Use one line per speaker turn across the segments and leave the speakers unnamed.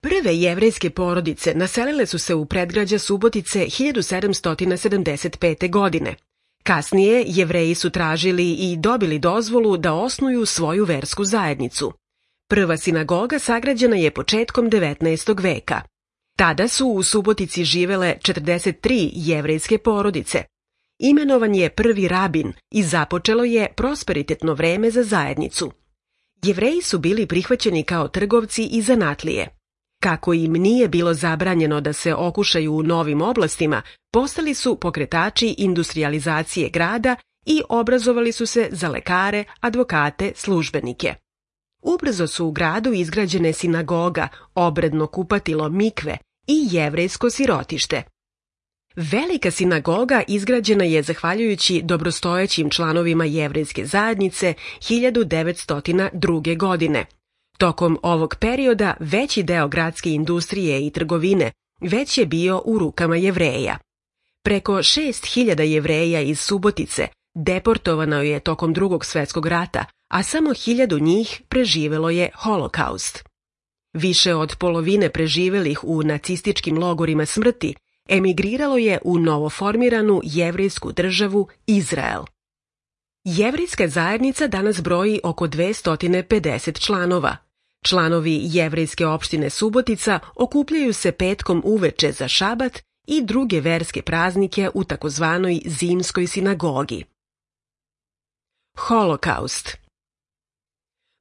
Prve jevrejske porodice naselile su se u predgrađa Subotice 1775. godine. Kasnije Jevreji su tražili i dobili dozvolu da osnuju svoju versku zajednicu. Prva sinagoga sagrađena je početkom 19. veka. Tada su u Subotici živele 43 jevrejske porodice. Imenovan je prvi rabin i započelo je prosperitetno vreme za zajednicu. Jevreji su bili prihvaćeni kao trgovci i zanatlije. Kako im nije bilo zabranjeno da se okušaju u novim oblastima, postali su pokretači industrijalizacije grada i obrazovali su se za lekare, advokate, službenike. Ubrzo su u gradu izgrađene sinagoga, obredno kupatilo mikve i jevrejsko sirotište. Velika sinagoga izgrađena je zahvaljujući dobrostojećim članovima jevrejske zajednice 1902. godine. Tokom ovog perioda veći deo gradske industrije i trgovine već je bio u rukama Jevreja. Preko 6.000 Jevreja iz Subotice deportovano je tokom Drugog svjetskog rata, a samo 1.000 njih preživelo je Holokaust. Više od polovine preživelih u nacističkim logorima smrti emigriralo je u novoformiranu jevrejsku državu Izrael. Jevrejska zajednica danas broji oko 250 članova. Članovi jevrejske opštine Subotica okupljaju se petkom uveče za šabat i druge verske praznike u takozvanoj zimskoj sinagogi. Holokaust.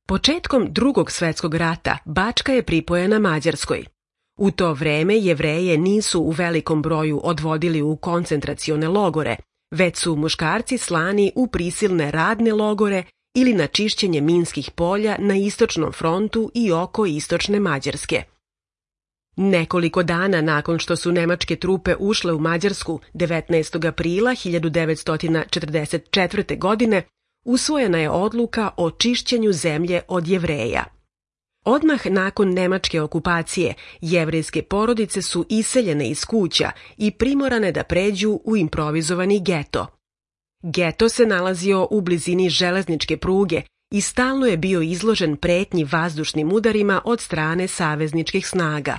Početkom Drugog svjetskog rata Bačka je pripojena Mađarskoj. U to vreme Jevreje nisu u velikom broju odvodili u koncentracione logore, već su muškarci slani u prisilne radne logore ili na čišćenje minskih polja na istočnom frontu i oko istočne Mađarske. Nekoliko dana nakon što su nemačke trupe ušle u Mađarsku 19. aprila 1944. godine, usvojena je odluka o čišćenju zemlje od Jevreja. Odmah nakon nemačke okupacije, jevrejske porodice su iseljene iz kuća i primorane da pređu u improvizovani geto. Geto se nalazio u blizini železničke pruge i stalno je bio izložen pretnji vazdušnim udarima od strane savezničkih snaga.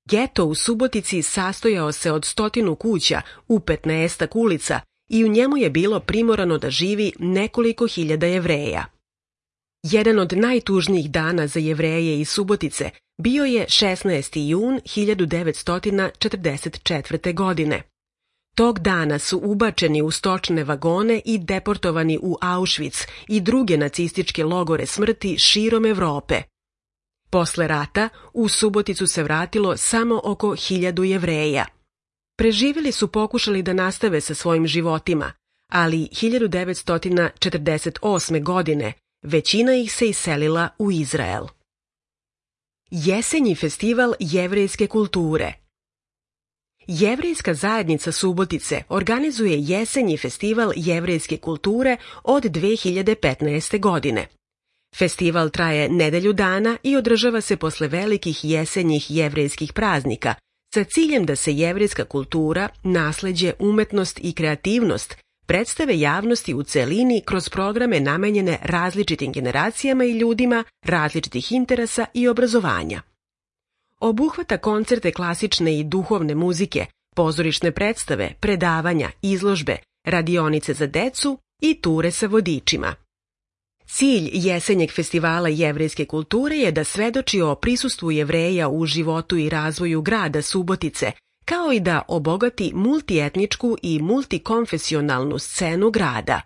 Geto u Subotici sastojao se od 100 kuća u 15 ulica i u njemu je bilo primorano da živi nekoliko hiljada Jevreja. Jedan od najtužnijih dana za Jevreje iz Subotice bio je 16. jun 1944. godine. Tog dana su ubačeni u stočne vagone i deportovani u Auschwitz i druge nacističke logore smrti širom Evrope. Posle rata u Suboticu se vratilo samo oko 1000 Jevreja. Preživjeli su pokušali da nastave sa svojim životima, ali 1948. godine većina ih se iselila u Izrael. Jesenji festival jevrejske kulture. Jevrejska zajednica Subotice organizuje jesenji festival jevrejske kulture od 2015. godine. Festival traje nedelju dana i održava se posle velikih jesenjih jevrejskih praznika sa ciljem da se jevrejska kultura, nasleđe, umetnost i kreativnost predstave javnosti u celini kroz programe namenjene različitim generacijama i ljudima različitih interesa i obrazovanja. Obuhvata koncerte klasične i duhovne muzike, pozorišne predstave, predavanja, izložbe, radionice za decu i ture sa vodičima. Cilj jesenjeg festivala jevrejske kulture je da svedoči o prisustvu Jevreja u životu i razvoju grada Subotice, kao i da obogati multietničku i multikonfesionalnu scenu grada.